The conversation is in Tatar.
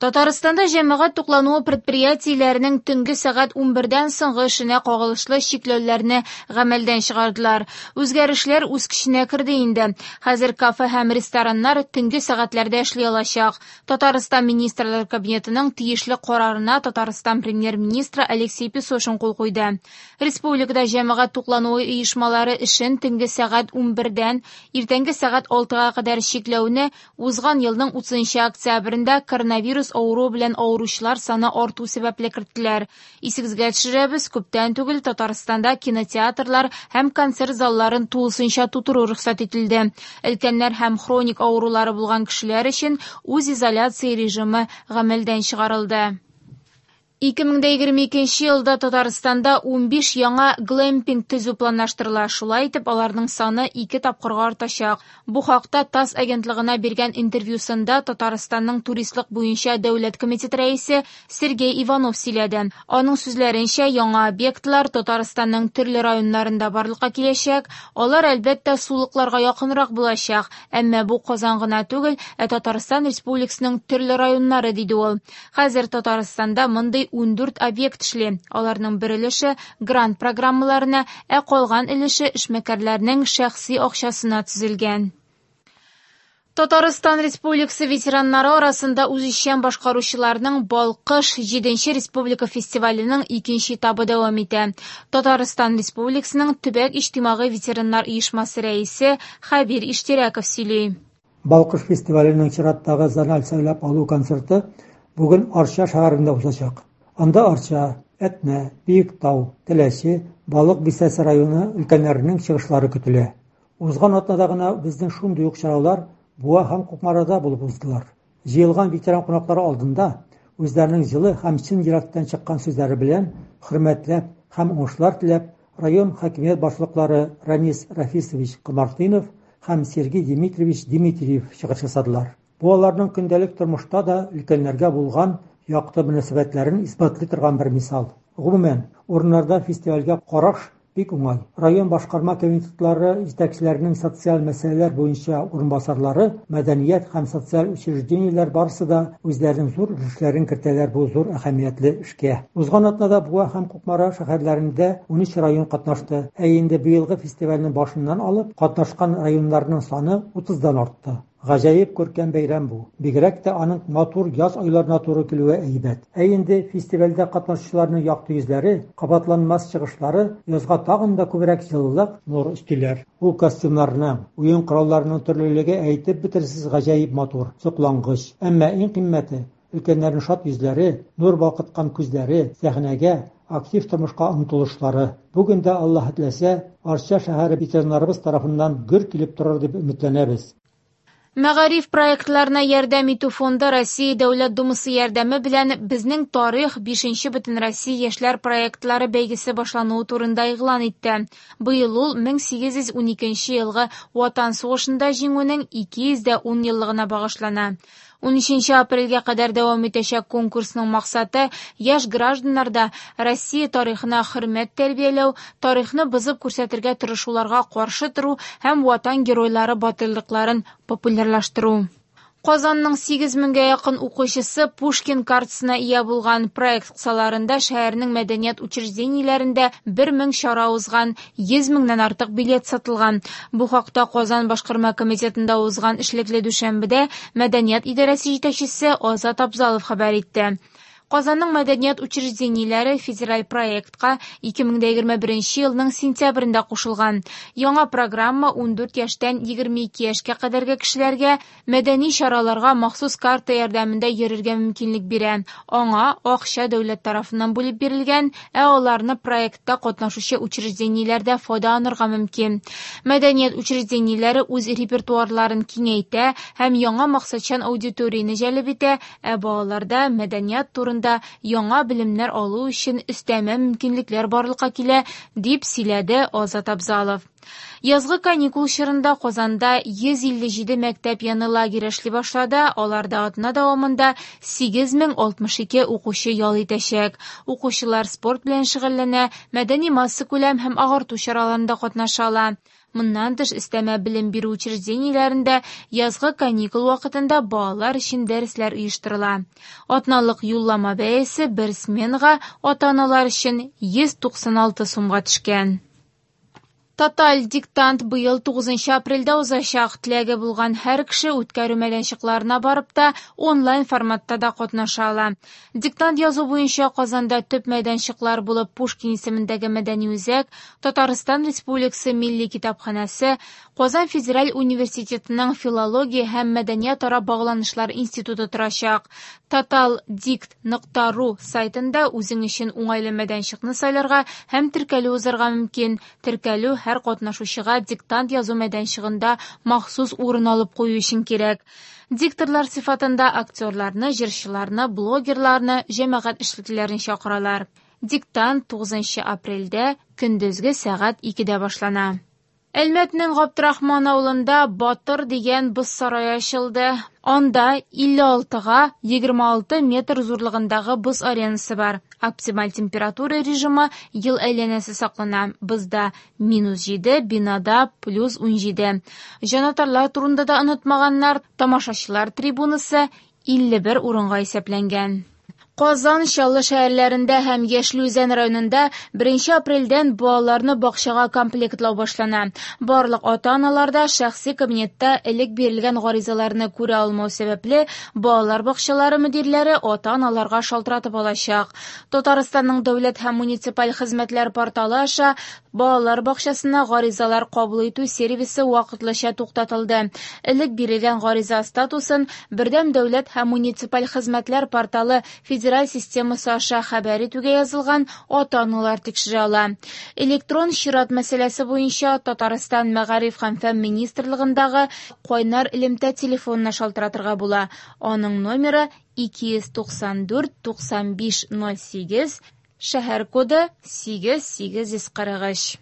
Татарстанда җәмәгать туклануы предприятиеләренең төнге сәгать 11дән соңгы эшенә кагылышлы чикләүләрне гамәлдән чыгардылар. Үзгәрешләр үз көченә керде инде. Хәзер кафе һәм рестораннар төнге сәгатьләрдә эшли алачак. Татарстан Министрлар Кабинетының тиешле карарына Татарстан Премьер-министры Алексей Песошин кул куйды. Республикада җәмәгать туклануы оешмалары эшен төнге сәгать 11дән иртәнге сәгать 6га кадәр чикләүне узган елның 30 октябрендә коронавирус авыруы белән авыручылар саны арту сәбәпле керттеләр. Исегезгә төшерәбез, күптән түгел Татарстанда кинотеатрлар һәм концерт залларын тулысынча тутыру рөхсәт ителде. Өлкәннәр һәм хроник авырулары булган кешеләр өчен үзизоляция режимы гамәлдән чыгарылды. 2022 елда Татарстанда 15 яңа глэмпинг төзү планлаштырыла. Шулай итеп, аларның саны ике тапкырга артачак. Бу хакта ТАСС агентлыгына биргән интервьюсында Татарстанның туристлык буенча дәүләт комитеты рәисе Сергей Иванов сөйләде. Аның сүзләренчә, яңа объектлар Татарстанның төрле районнарында барлыкка киләчәк. Алар, әлбәттә, сулыкларга якынрак булачак. Әмма бу Казан гына түгел, ә Татарстан Республикасының төрле районнары, диде ул. Хәзер Татарстанда мондый 14 объект эшли. Аларның бер өлеше грант программаларына, ә калган өлеше эшмәкәрләрнең шәхси акчасына төзелгән. Татарстан Республикасы ветераннары арасында үзешчән башкаручыларның Балкыш 7 республика фестиваленең икенче этабы дәвам итә. Татарстан Республикасының төбәк иҗтимагый ветераннар оешмасы рәисе Хәбир Иштирәков сөйли. Балкыш фестиваленең чираттагы зональ сайлап алу концерты бүген Арча шәһәрендә узачак. Анда Арча, Әтнә, Биектау, Теләче, Балык Бистәсе районы өлкәннәренең чыгышлары көтелә. Узган атнада гына безнең шундый ук чаралар Буа һәм Кукмарада булып уздылар. Җыелган ветеран кунаклары алдында үзләренең җылы һәм чын йөрәктән чыккан сүзләре белән хөрмәтләп һәм уңышлар теләп район хакимият башлыклары Ранис Рафисович Комартынов һәм Сергей Дмитриевич Дмитриев чыгыш ясадылар. Бу аларның көндәлек тормышта да өлкәннәргә булган якты мөнәсәбәтләрен исбатлый торган бер мисал. Гомумән, урыннарда фестивальгә караш бик уңай. Район башкарма комитетлары җитәкчеләренең социаль мәсьәләләр буенча урынбасарлары, мәдәният һәм социаль учреждениеләр барысы да үзләренең зур өлешләрен кертәләр бу зур әһәмиятле эшкә. Узган атнада Буа һәм Кукмара шәһәрләрендә 13 район катнашты, ә инде быелгы фестивальнең башыннан алып катнашкан районнарның саны 30-дан артты. Гаҗәеп күркәм бәйрәм бу. Бигрәк тә аның матур яз айларына туры килүе әйбәт. Ә инде фестивальдә катнашучыларның якты йөзләре, кабатланмас чыгышлары язга тагын да күбрәк җылылык, нур өстиләр. Ул костюмнарның, уен коралларының төрлелеге әйтеп бетергесез гаҗәеп матур, соклангыч. Әмма иң кыйммәте, өлкәннәрнең шат йөзләре, нур балкыткан күзләре, сәхнәгә, актив тормышка омтылышлары. Бүген дә, Аллаһы теләсә, Арча шәһәре ветераннарыбыз тарафыннан гөр килеп торыр дип өметләнәбез. Мәгариф проектларына ярдәм итү фонды Россия Дәүләт Думасы ярдәме белән Безнең тарих 5нче Бөтенроссия яшьләр проектлары бәйгесе башлануы турында игълан итте. Быел ул 1812 елгы Ватан сугышында җиңүнең 210 еллыгына багышлана. 13 апрельгә кадәр дәвам итәчәк конкурсның максаты яшь гражданнарда Россия тарихына хөрмәт тәрбияләү, тарихны бозып күрсәтергә тырышуларга каршы тору һәм ватан геройлары батырлыкларын популярлаштыру. Казанның 8 меңгә якын укучысы Пушкин картасына ия булган. Проект кысаларында шәһәрнең мәдәният учреждениеләрендә 1000 чара узган, 100 меңнән артык билет сатылган. Бу хакта Казан башкарма комитетында узган эшлекле дүшәмбедә мәдәният идарәсе җитәкчесе Азат Абзалов хәбәр итте. Казанның мәдәният учреждениеләре федераль проектка 2021 елның сентябрендә кушылган. Яңа программа 14 яшьтән 22 яшькә кадәрге кешеләргә мәдәни чараларга махсус карта ярдәмендә йөрергә мөмкинлек бирә. Аңа акча дәүләт тарафыннан бүлеп бирелгән, ә аларны проектта катнашучы учреждениеләрдә файдаланырга мөмкин. Мәдәният учреждениеләре үз репертуарларын киңәйтә һәм яңа максатчан аудиторияне җәлеп итә, ә балаларда мәдәният турында яңа белемнәр алу өчен өстәмә мөмкинлекләр барлыкка килә, дип сөйләде Азат Абзалов. Язгы каникул чорында Казанда 157 мәктәп яны лагерь эшли башлады. Аларда атна дәвамында 8062 укучы ял итәчәк. Укучылар спорт белән шөгыльләнә, мәдәни массакүләм һәм агарту чараларында катнаша ала. Моннан тыш, өстәмә белем бирү учреждениеләрендә язгы каникул вакытында балалар өчен дәресләр оештырыла. Атналык юллама бәясе бер сменага ата-аналар өчен 196 сумга төшкән. Тоталь диктант быел 9 апрельдә узачак. Теләге булган һәр кеше үткәрү мәйданчыкларына барып та, онлайн форматта да катнаша ала. Диктант язу буенча Казанда төп мәйданчыклар булып Пушкин исемендәге мәдәни үзәк, Татарстан Республикасы Милли китапханәсе, Казан федераль университетының филология һәм мәдәниятара багланышлар институты торачак. Totaldict.ru сайтында үзең өчен уңайлы мәйданчыкны сайларга һәм теркәлү узарга мөмкин. Теркәлү һәр катнашучыга диктант язу мәйданчыгында махсус урын алып кую өчен кирәк. Дикторлар сыйфатында актерларны, җырчыларны, блогерларны, җәмәгать эшлеклеләрен чакыралар. Диктант 9 апрельдә көндезге сәгать 2дә башлана. Әлмәтнең Габдрахман авылында Батыр дигән боз сарае ачылды. Анда 56-га 26 метр зурлыгындагы боз аренасы бар. Оптималь температура режимы ел әйләнәсе саклана. Бозда минус 7, бинада плюс 17. Җанатарлар турында да онытмаганнар. Тамашачылар трибунасы 51 урынга исәпләнгән. Казан, Чаллы шәһәрләрендә һәм Яшел Үзән районында 1 апрельдән балаларны бакчага комплектлау башлана. Барлык ата-аналар да шәхси кабинетта элек бирелгән гаризаларны күрә алмау сәбәпле, балалар бакчалары мөдирләре ата-аналарга шалтыратып алачак. Татарстанның дәүләт һәм муниципаль хезмәтләр порталы аша балалар бакчасына гаризалар кабул итү сервисы вакытлыча туктатылды. Элек бирелгән гариза статусын Бердәм дәүләт һәм муниципаль хезмәтләр порталы федераль системасы аша хәбәр итүгә язылган ата-аналар тикшерә ала. Электрон чират мәсьәләсе буенча Татарстан Мәгариф һәм фән министрлыгындагы кайнар элемтә телефонына шалтыратырга була. Аның номеры 294 95 08, шәһәр коды 8843.